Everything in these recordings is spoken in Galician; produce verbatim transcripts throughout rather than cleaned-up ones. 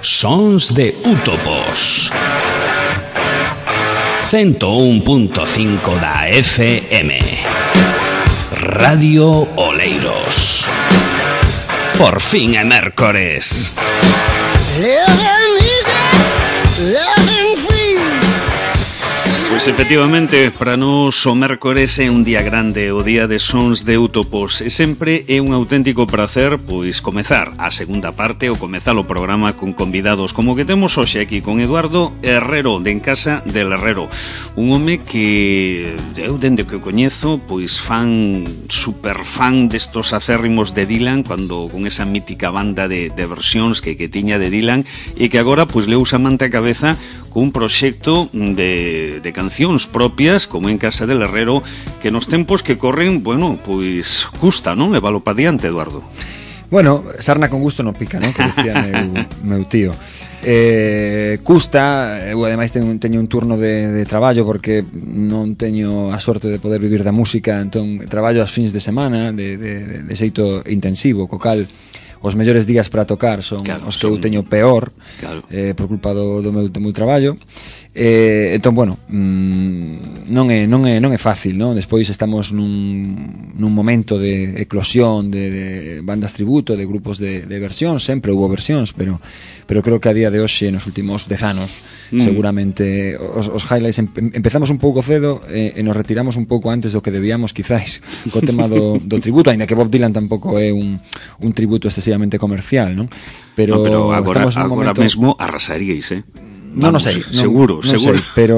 Sons de Útopos. ciento un punto cinco da F M. Radio Oleiros. Por fin é mércores. Pois efectivamente, para nós o mércores é un día grande, o día de Sons de Útopos, e sempre é un auténtico prazer pois comezar a segunda parte ou comezar o programa con convidados como que temos hoxe aquí con Eduardo Herrero, de En Casa del Herrero, un home que eu dende que o coñezo pois fan, super fan destos acérrimos de Dylan, cando con esa mítica banda de, de versións que, que tiña de Dylan, e que agora pois le usa mante a cabeza con un proxecto de, de cancións propias, como En Casa del Herrero, que nos tempos que corren, bueno, pois custa, non? Levalo pa diante, Eduardo. Bueno, sarna con gusto non pica, non? Que decía meu, meu tío. Eh, custa, eu ademais teño, teño un turno de, de traballo porque non teño a sorte de poder vivir da música, entón traballo as fins de semana de, de, de xeito intensivo, co cal os mellores días para tocar son claro, os que son... eu teño peor, claro. eh, por culpa do, do, meu, do meu traballo. Eh, entón, bueno, mmm, non é non é non é fácil, non? Despois estamos nun nun momento de eclosión de, de bandas tributo, de grupos de, de versións, sempre hubo versións, pero pero creo que a día de hoxe nos últimos dez anos mm. seguramente os, os highlights em, empezamos un pouco cedo e, e nos retiramos un pouco antes do que debíamos, quizáis, co tema do, do tributo, aínda que Bob Dylan tampouco é un un tributo excesivamente comercial, non? Pero, no, pero agora, estamos nun agora momento... mesmo arrasaríais, eh? Non no sei, seguro, non, non seguro. sei, pero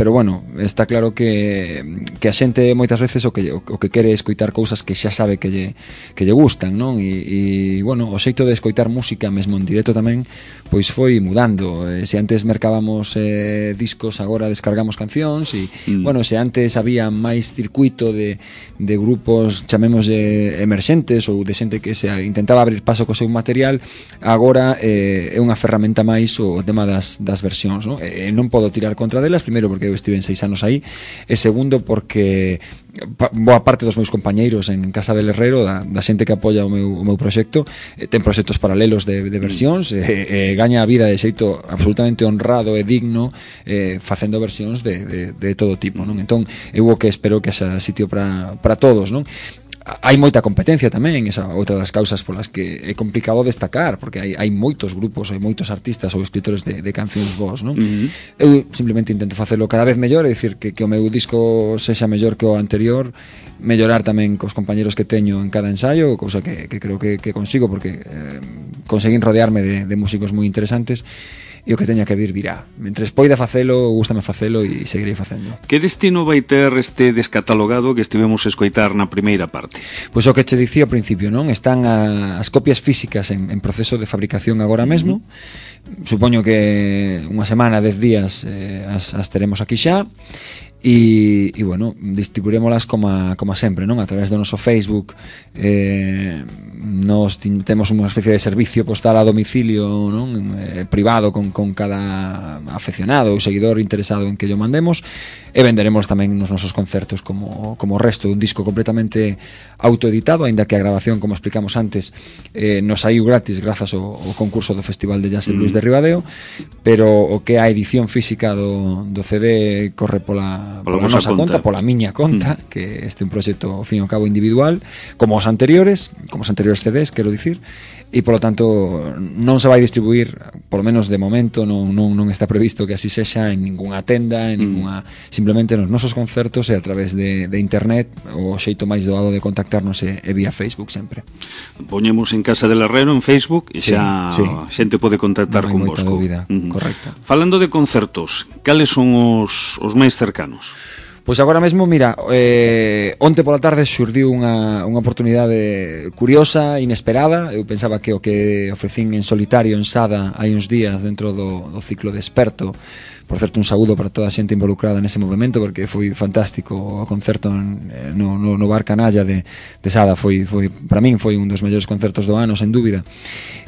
pero bueno, está claro que que a xente moitas veces o que o que quere é escoitar cousas que xa sabe que lle que lle gustan, non? E, e bueno, o xeito de escoitar música mesmo en directo tamén pois foi mudando. Eh, se antes mercábamos eh, discos, agora descargamos cancións e mm. bueno, se antes había máis circuito de de grupos, chamémoslle emerxentes ou de xente que se intentaba abrir paso co seu material, agora eh, é unha ferramenta máis o tema das, das versións, non? E non podo tirar contra delas, primeiro porque eu estive en seis anos aí, e segundo porque boa parte dos meus compañeiros en Casa del Herrero, da, da xente que apoia o meu, o meu proxecto, eh, ten proxectos paralelos de, de versións, e, e gaña a vida de xeito absolutamente honrado e digno eh, facendo versións de, de, de todo tipo, non? Entón, eu o que espero que haxa sitio para, para todos, non? Hai moita competencia tamén, esa outra das causas polas que é complicado destacar, porque hai, hai moitos grupos, hai moitos artistas ou escritores de, de cancións vos, non? Uh-huh. Eu simplemente intento facelo cada vez mellor, é dicir, que, que o meu disco sexa mellor que o anterior, mellorar tamén cos compañeros que teño en cada ensaio, cousa que, que creo que, que consigo, porque eh, conseguín rodearme de, de músicos moi interesantes, e o que teña que vir virá. Mentres poida facelo, gústame facelo e seguirei facendo. Que destino vai ter este descatalogado que estivemos a escoitar na primeira parte? Pois o que che dicía ao principio, non? Están a, as copias físicas en, en proceso de fabricación agora mesmo. Uh-huh. Supoño que unha semana, dez días eh, as, as teremos aquí xa. E, e bueno, distribuirémolas como, a, como a sempre, non? A través do noso Facebook, eh, nos temos unha especie de servicio postal a domicilio, non? Eh, privado con, con cada afeccionado ou seguidor interesado en que yo mandemos, e venderemos tamén nos nosos concertos como, como o resto, un disco completamente autoeditado, aínda que a grabación, como explicamos antes, eh, nos saiu gratis grazas ao, ao concurso do Festival de Jazz en Luis de Ribadeo, pero o que a edición física do, do C D corre pola, pola, pola nosa conta, conta, pola miña conta, mm. que este é un proxecto, ao fin e ao cabo, individual, como os anteriores, como os anteriores C Ds, quero dicir, e polo tanto non se vai distribuir, polo menos de momento non, non, non está previsto que así sexa en ningunha tenda, en ningunha, mm. simplemente nos nosos concertos e a través de, de internet, o xeito máis doado de contactarnos é, é vía Facebook sempre. Poñemos En Casa del Herrero en Facebook e xa sí, sí. xente pode contactar con vosco. Dúbida, uh-huh. Correcto. Falando de concertos, cales son os, os máis cercanos? Pois agora mesmo, mira, eh, onte pola tarde xurdiu unha, unha oportunidade curiosa, inesperada. Eu pensaba que o que ofrecín en solitario en Sada hai uns días dentro do, do ciclo de Experto por certo, un saúdo para toda a xente involucrada nese movimento, porque foi fantástico o concerto no, no, no Bar Canalla de, de Sada. Foi, foi, para min foi un dos mellores concertos do ano, sen dúbida.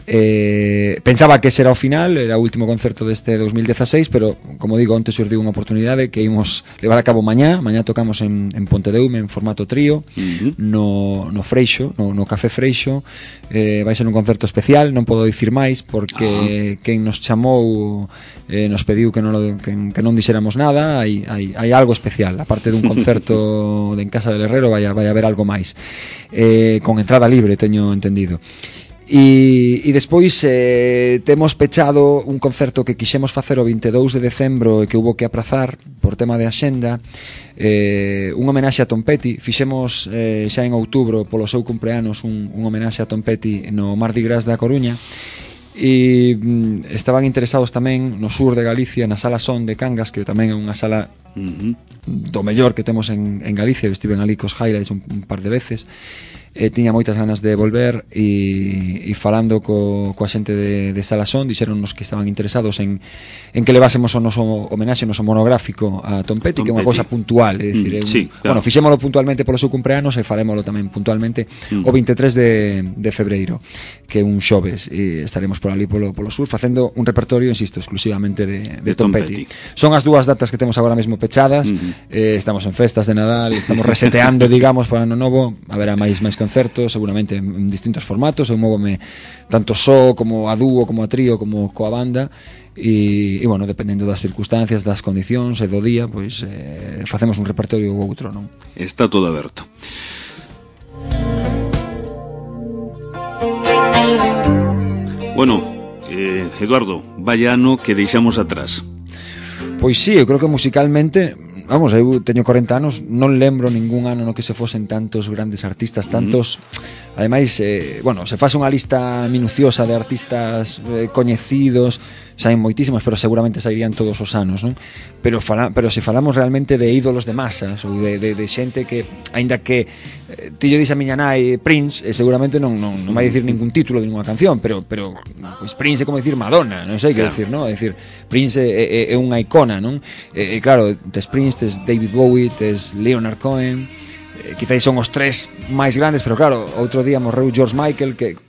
Eh, pensaba que ese era o final, era o último concerto deste dos mil dezaseis, pero, como digo, onte surdiu unha oportunidade que imos levar a cabo mañá. Mañá tocamos en, en Pontedeume en formato trío, uh-huh. no, no Freixo, no, no Café Freixo. Eh, vai ser un concerto especial, non podo dicir máis, porque uh-huh. quen nos chamou eh, nos pediu que non, lo, que, que non dixéramos nada. Hai, hai, hai algo especial, aparte dun concerto de en Casa del Herrero, vai, vai haber algo máis, eh, con entrada libre, teño entendido. E, e despois eh, temos pechado un concerto que quixemos facer o vinte e dous de decembro e que hubo que aprazar por tema de axenda, eh, un homenaxe a Tom Petty. Fixemos eh, xa en outubro polo seu cumpleanos un, un homenaxe a Tom Petty no Mardi Gras da Coruña, e mm, estaban interesados tamén no sur de Galicia, na Sala Son de Cangas, que tamén é unha sala uh-huh. do mellor que temos en, en Galicia. Eu estive en ali cos highlights un, un par de veces. Eh, tiña moitas ganas de volver, e, e falando co, coa xente de, de Salasón, dixeronnos que estaban interesados en, en que levásemos o noso homenaxe, o noso monográfico a Tom Petty, Tom que é unha cousa puntual, é dicir, mm, un, sí, claro. Bueno, fixémolo puntualmente polo seu cumpleanos e farémolo tamén puntualmente mm. o vinte e tres de, de febreiro, que é un xoves, e estaremos por ali polo, polo sur facendo un repertorio, insisto, exclusivamente de, de, de Tom, Tom Petty. Petty. Son as dúas datas que temos agora mesmo pechadas. mm. eh, estamos en festas de Nadal, estamos reseteando, digamos, para ano novo. Haberá máis máis concertos, seguramente en distintos formatos. Eu móvome tanto só como a dúo, como a trío, como coa banda, e, e bueno, dependendo das circunstancias, das condicións e do día, pois eh, facemos un repertorio ou outro, non? Está todo aberto. Bueno, eh, Eduardo, vaya ano que deixamos atrás. Pois sí, eu creo que musicalmente, vamos, eu teño corenta anos, non lembro ningún ano no que se fosen tantos grandes artistas, tantos, uh-huh. ademais, eh, bueno, se faz unha lista minuciosa de artistas eh, coñecidos, saen moitísimas, pero seguramente sairían todos os anos, non? Pero fala, pero se falamos realmente de ídolos de masas, ou de, de, de xente que, aínda que eh, ti yo dix a miña nai Prince, eh, seguramente non, non, non vai dicir ningún título de ninguna canción, pero pero pues Prince é como dicir Madonna, non sei que claro. decir, non? É dicir, Prince é, é, é unha icona, non? E, e claro, tes Prince, tes David Bowie, tes Leonard Cohen, eh, quizáis son os tres máis grandes, pero claro, outro día morreu George Michael, que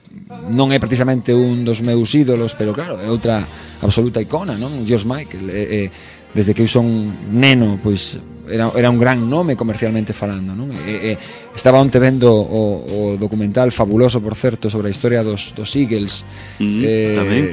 non é precisamente un dos meus ídolos, pero claro, é outra absoluta icona, non? George Michael, eh, eh, desde que eu son neno, pois era, era un gran nome comercialmente falando, non? E, eh, estaba onte vendo o, o documental fabuloso, por certo, sobre a historia dos, dos Eagles, mm, eh, tamén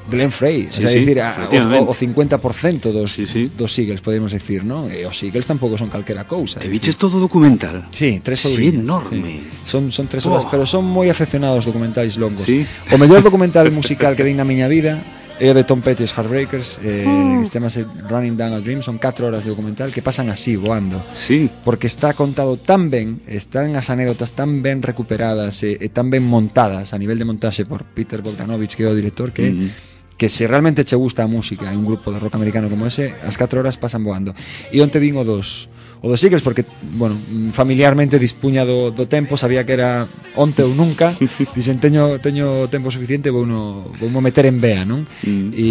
Glenn Frey, sí, o sea, sí, decir, a, o, o cincuenta por cento dos, sí, sí. dos Eagles, podemos decir, ¿no? E os Eagles tampouco son calquera cousa. Te viches todo documental? Sí, tres horas. Sí, enorme. Sí. Son, son tres horas, oh. pero son moi afeccionados documentais longos. Sí. O mellor documental musical que vi na miña vida é o de Tom Petty e os Heartbreakers, eh, oh. que se chama Running Down a Dream. Son catro horas de documental que pasan así, voando. Sí. Porque está contado tan ben, están as anécdotas tan ben recuperadas e, e tan ben montadas a nivel de montaxe por Peter Bogdanovich, que é o director, que mm-hmm. que se realmente che gusta a música e un grupo de rock americano como ese, as catro horas pasan voando. E onte vin o dos o dos Eagles, porque, bueno, familiarmente dispuña do, do tempo, sabía que era onte ou nunca, dixen, teño, teño tempo suficiente, vou no, vou mo meter en vea, non? Mm. E,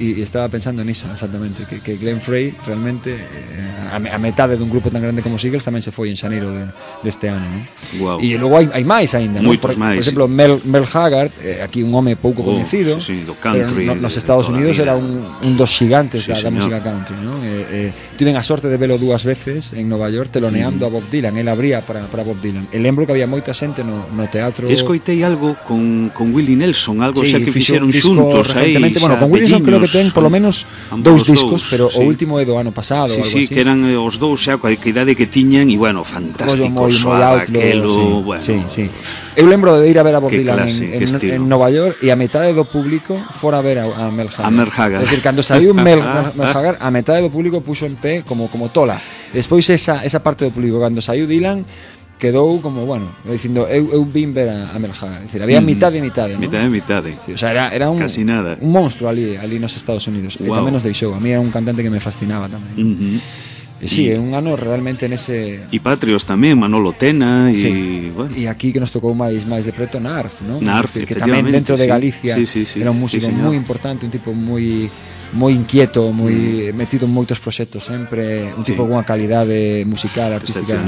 e estaba pensando niso, exactamente, que, que Glenn Frey realmente eh, a, a metade dun grupo tan grande como os Eagles tamén se foi en xaneiro de, deste ano, non? Wow. E logo hai, hai máis aínda, non? Por, máis, por exemplo, sí. Mel, Mel Haggard, eh, aquí un home pouco oh, coñecido, sí, sí, do country, pero no, nos Estados Unidos era un, un dos xigantes sí, da, da música country, non? Eh, eh, tiven a sorte de velo dúas veces en Nova York teloneando mm. a Bob Dylan. El abría para, para Bob Dylan. E lembro que había moita xente no, no teatro. Escoitei algo con, con Willie Nelson, algo sí, xa que fixeron un xuntos aí. Bueno, con Willie Nelson creo que ten polo menos dous discos, dous, pero sí. o último é do ano pasado, sí, algo sí, así. Que eran os dous xa coa idade que tiñan e bueno, fantástico, moi, soaba outlaw, aquelo, sí, bueno. Sí, sí. Eu lembro de ir a ver a Bob Dylan clase, en, en, en Nova York e a metade do público fora a ver a, a Mel Haggard. A Mel Haggard. É dicir, cando saiu Mel, Mel Haggard, a metade do público puxo en pé como como tola. Despois esa esa parte do público cando saiu Dylan quedou como, bueno, dicindo eu, eu vin ver a, a Mel Haggard. É dicir, había mm, mitade e mitade, ¿no? Mitade e mitade. Sí, o sea, era, era un, casi nada. Un monstruo ali, ali nos Estados Unidos. Wow. E tamén nos deixou. A mí era un cantante que me fascinaba tamén. Uh-huh. E sí, é un ano realmente nese... E Patrios tamén, Manolo Tena e... Sí. Bueno. E aquí que nos tocou máis máis de preto Narf, ¿no? Narf, que tamén dentro de Galicia sí, sí, sí, era un músico sí, moi importante, un tipo moi moi inquieto, moi mm. metido en moitos proxectos sempre, un tipo sí. con unha calidade musical, artística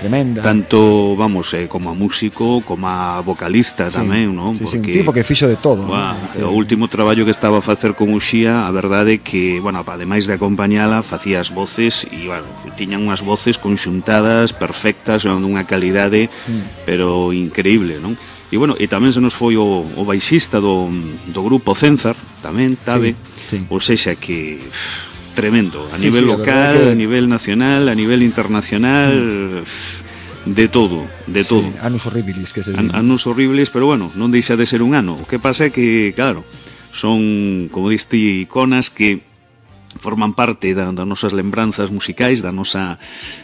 tremenda. Tanto, vamos, eh, como a músico, como a vocalista sí. tamén, non? Sí, sí, un tipo que fixo de todo. Buah, ¿no? O último traballo que estaba a facer con Uxía, a verdade é que, bueno, ademais de acompañala, facía as voces e, bueno, tiñan unhas voces conxuntadas, perfectas, dunha calidade, mm. pero increíble, non? E, bueno, e tamén se nos foi o, o baixista do, do grupo Cenzar, tamén, Tabe, sí, sí. ou sexa que... tremendo, a sí, nivel sí, local, que... a nivel nacional, a nivel internacional, mm. de todo, de sí, todo. Anos horribles que se An, anos horribles, pero bueno, non deixa de ser un ano. O que pasa é que, claro, son, como diste, iconas que forman parte das da nosas lembranzas musicais, da nosa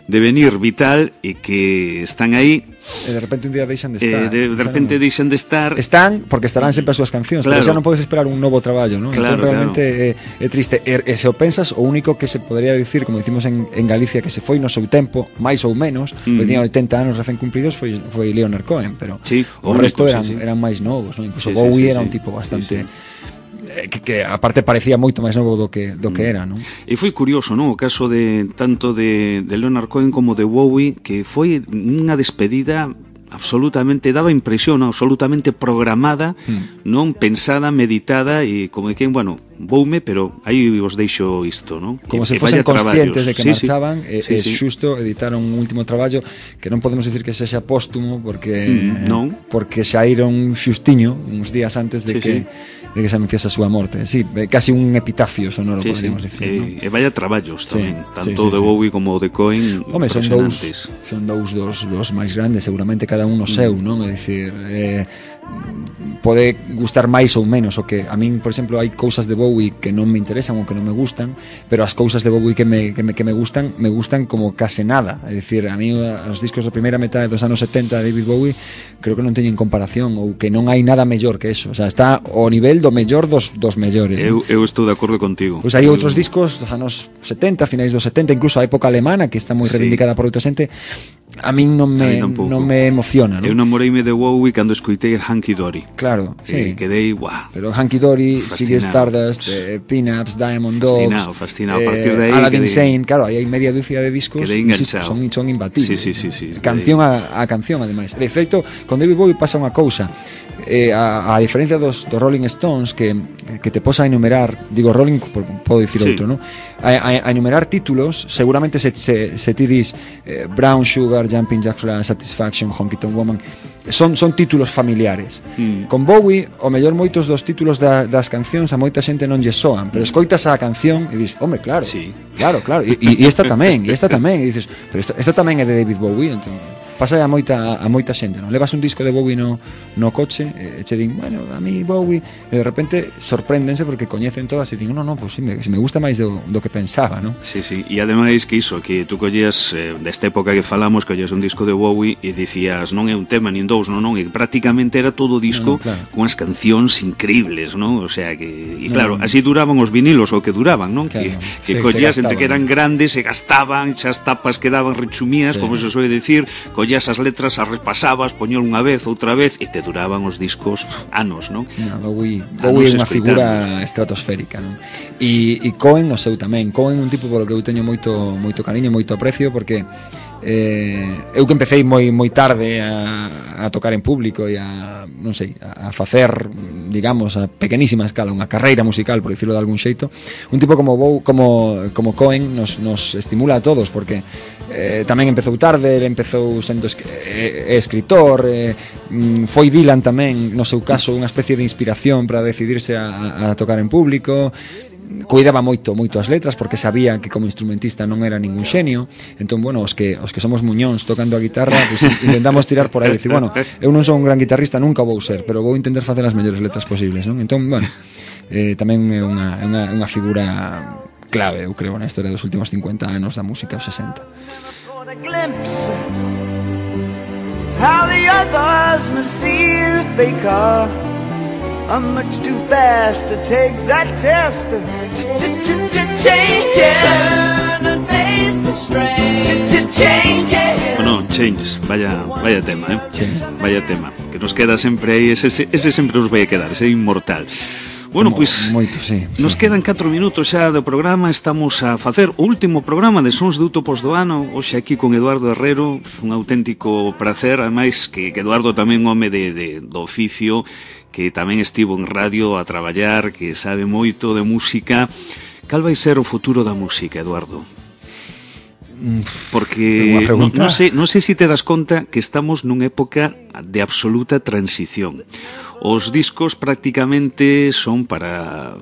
devenir vital e que están aí e de repente un día deixan de estar. Eh, de, de repente no... deixan de estar. Están porque estarán sempre as súas cancións, claro. Pero xa non podes esperar un novo traballo, ¿no? Claro, entón realmente claro. é, é triste. E, e se o pensas, o único que se podría dicir, como dicimos en, en Galicia, que se foi no seu tempo, máis ou menos, mm. porque tiña oitenta anos recén cumpridos, foi, foi Leonard Cohen, pero sí, o único, resto eran, sí, sí. eran máis novos, ¿no? Incluso sí, Bowie sí, sí, sí. era un tipo bastante... Sí, sí. Que, que aparte parecía moito máis novo do que do que era, non? E foi curioso, non? O caso de tanto de, de Leonard Cohen como de Bowie, que foi unha despedida absolutamente, daba impresión, ¿no? Absolutamente programada, mm. non pensada, meditada e como de quen, bueno, voume, pero aí vos deixo isto, non? Como e, se fosen conscientes traballos. De que sí, marchaban sí. e, sí, e sí. xusto editaron un último traballo que non podemos decir que sexa póstumo porque mm, non. porque saíron xustiño uns días antes de sí, que sí. de que se anunciase a súa morte. Sí, casi un epitafio sonoro, sí, podríamos sí. decir, e, ¿no? E vaya traballos tamén, sí, tanto sí, sí, de Bowie sí. como de Cohen. Home, son dous, son dous dos, dos máis grandes, seguramente cada un no seu, mm. non? É dicir, eh, pode gustar máis ou menos, o que a min, por exemplo, hai cousas de Bowie que non me interesan ou que non me gustan, pero as cousas de Bowie que me, que me, que me gustan, me gustan como case nada. É dicir, a mí os discos da primeira metade dos anos setenta de David Bowie creo que non teñen comparación, ou que non hai nada mellor que eso. O sea, está ao nivel do mellor dos, dos mellores. Eu, eu estou de acordo contigo. Pois hai outros discos dos anos setenta, finais dos setenta, incluso a época alemana, que está moi reivindicada sí. por outra xente. A min non me, non me emociona, ¿no? Eu namoreime de Bowie cando escoitei Hunky Dory. Claro, sí. Eh, quedei, guau. Pero Hunky Dory, Ziggy Stardust, eh, Pin-Ups, Diamond Dogs, fascinado, fascinado. Eh, a partir de aí Aladdin quedei... Sane, claro, aí hai media dúcia de discos quedei enganchado. Son, son imbatibles. Sí, sí, sí, sí, canción a, a canción, ademais. De feito, con David Bowie pasa unha cousa. Eh, a, a diferencia dos, dos Rolling Stones que, que te posa a enumerar, digo Rolling, podo dicir sí. outro, ¿no? A, a, a enumerar títulos, seguramente se, se, se ti dis eh, Brown Sugar, Jumping Jack Flash, Satisfaction, Honky Tonk Woman, son, son títulos familiares. Mm. Con Bowie, o mellor moitos dos títulos da, das cancións a moita xente non lle soan, pero escoitas a canción e dis, home, claro, sí. claro, claro, e, e esta tamén, e esta tamén, e dices, pero esta, esta tamén é de David Bowie, entón pasa a moita, a moita xente, non? Levas un disco de Bowie no, no coche e che din, bueno, a mí Bowie, e de repente sorpréndense porque coñecen todas e din, no, no, pues sí, me, me gusta máis do, do que pensaba, non? Sí, sí, e ademais que iso, que tú collías eh, desta época que falamos, collías un disco de Bowie e dicías, non é un tema nin dous, non, non, e prácticamente era todo o disco no, no, claro. con as cancións increíbles, non? O sea que, e claro, no, así duraban os vinilos o que duraban, non? Claro, que, que sí, collías entre que eran grandes, se gastaban, xa as tapas quedaban rechumías, sí. como se soe decir, collías as letras, as repasabas, poñol unha vez, outra vez, e te duraban os discos anos, non? No, Bowie, Bowie é unha figura estratosférica, non? E, e Cohen no seu tamén. Cohen é un tipo polo que eu teño moito moito cariño, moito aprecio, porque eh, eu que empecéi moi moi tarde a, a tocar en público e a, non sei, a facer, digamos, a pequenísima escala unha carreira musical, por dicirlo de algún xeito, un tipo como Bow, como como Cohen nos nos estimula a todos, porque eh, tamén empezou tarde, ele empezou sendo es, eh, escritor, eh, foi Dylan tamén, no seu caso, unha especie de inspiración para decidirse a, a tocar en público. Cuidaba moito, moito as letras porque sabía que como instrumentista non era ningún xenio. Entón, bueno, os que os que somos muñóns tocando a guitarra, pues, intentamos tirar por aí, decir, bueno, eu non son un gran guitarrista, nunca vou ser, pero vou intentar facer as mellores letras posibles, non? Entón, bueno, eh, tamén é unha, unha, unha figura clave, eu creo, na historia dos últimos cincuenta anos da música, os sesenta. How the others must see the faker. I'm much too fast to take that test. Change it. Turn and face the strain. Change it. Bueno, Change, vaya, vaya tema, eh? Change. Vaya tema, que nos queda sempre aí, ese, ese sempre nos vai a quedar, ese inmortal. Bueno, pois, moito, sí, nos sí. quedan catro minutos xa do programa. Estamos a facer o último programa de Sons de Útopos do ano. Hoxe aquí con Eduardo Herrero, un auténtico prazer. Ademais que, que Eduardo tamén un home de, de, do oficio, que tamén estivo en radio a traballar, que sabe moito de música. Cal vai ser o futuro da música, Eduardo? Porque non no sei, non sei se te das conta que estamos nunha época de absoluta transición. Os discos prácticamente son para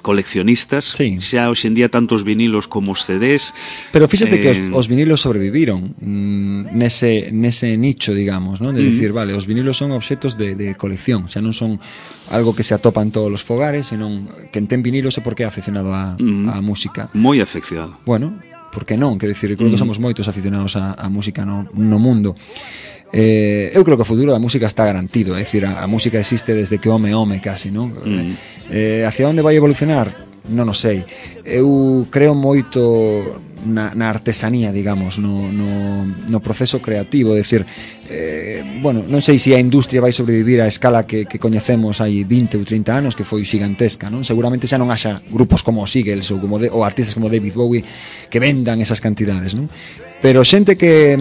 coleccionistas, sí. Xa hoxe en día tanto os vinilos como os C Ds. Pero fíxate eh... que os, os vinilos sobreviviron mm, nese, nese nicho, digamos, ¿no? De mm. decir, vale, os vinilos son obxetos de, de colección, xa non son algo que se atopa en todos os fogares, senón que ten vinilos é porque é aficionado a, mm. a música. Moi aficionado. Bueno, porque non, quero dicir, creo que somos moitos aficionados a, a música no, no mundo. Eh, eu creo que o futuro da música está garantido, é dicir, a, a música existe desde que home home casi, non? Mm. Eh, hacia onde vai evolucionar? Non o sei. Eu creo moito na, na artesanía, digamos, no, no, no proceso creativo, é dicir, eh, bueno, non sei se a industria vai sobrevivir á escala que, que coñecemos hai vinte ou trinta anos, que foi gigantesca, non? Seguramente xa non haxa grupos como os Eagles ou, como de, ou artistas como David Bowie que vendan esas cantidades, non? Pero xente que,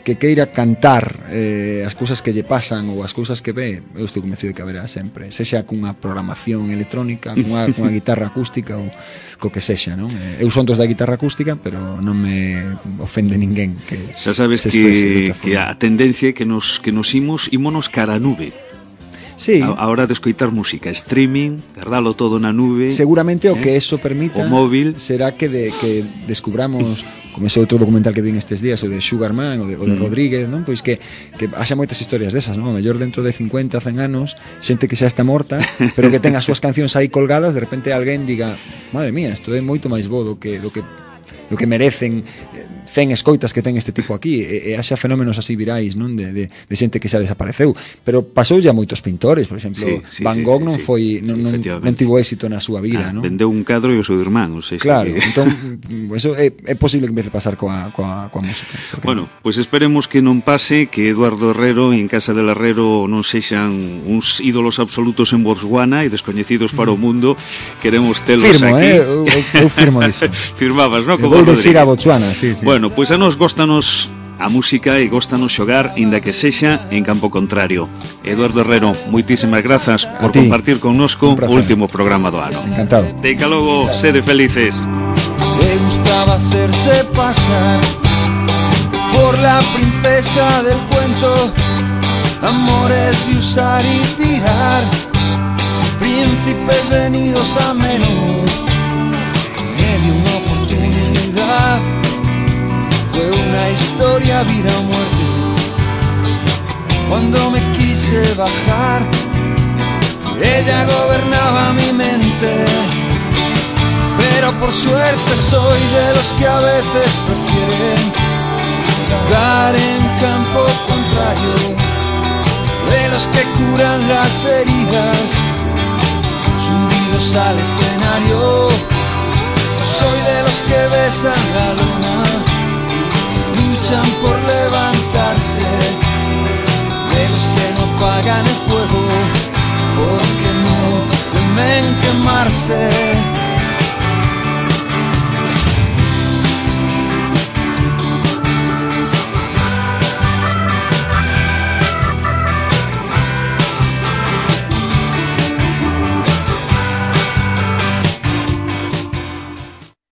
que queira cantar eh, as cousas que lle pasan ou as cousas que ve, eu estou convencido de que haberá sempre, sexa cunha programación electrónica, cunha, cunha guitarra acústica ou co que sexa, non? Eu son dos da guitarra acústica, pero non me ofende ninguén que xa sabes se que, que a tendencia é que nos, que nos imos ímonos cara a nube. Sí. A, a hora de escoitar música, streaming, guardalo todo na nube. Seguramente o eh? que eso permita o móvil será que, de, que descubramos como ese outro documental que vi estes días, o de Sugarman, o de, o de mm. Rodríguez, non? Pois que, que haxa moitas historias desas, non? A mellor dentro de cincuenta, cen anos, xente que xa está morta, pero que ten as súas cancións aí colgadas, de repente alguén diga, madre mía, isto é moito máis bo do que, do que, do que merecen cen escoitas que ten este tipo aquí, e, e haxa fenómenos así virais, non? De, de, de xente que xa desapareceu, pero pasou ya moitos pintores, por exemplo, sí, sí, Van Gogh sí, non sí, foi non, non, non tivo éxito na súa vida, ah, non? Vendeu un cadro e o seu irmán, sei, claro, que... entón eso é, é posible que empece a pasar coa, coa, coa música. Bueno, pois pues esperemos que non pase, que Eduardo Herrero en Casa del Herrero non sexan uns ídolos absolutos en Botswana e descoñecidos para o mundo. Queremos telos firmo, aquí. Eh? Eu, eu firmo disso. Firmabas, non? Como vou decir a Botswana, sí, sí. Bueno, pois a nos góstanos a música e góstanos xogar, inda que sexa en campo contrario. Eduardo Herrero, moitísimas grazas por compartir connosco o último programa do ano. Encantado. Deica logo, sede felices. Le gustaba hacerse pasar por la princesa del cuento, amores de usar y tirar, príncipes venidos a menos, me dio una oportunidad. Fue una historia vida o muerte. Cuando me quise bajar, ella gobernaba mi mente. Pero por suerte soy de los que a veces prefieren jugar en campo contrario, de los que curan las heridas subidos al escenario. Soy de los que besan la luna, luchan por levantarse, de los que no apagan el fuego porque no temen quemarse.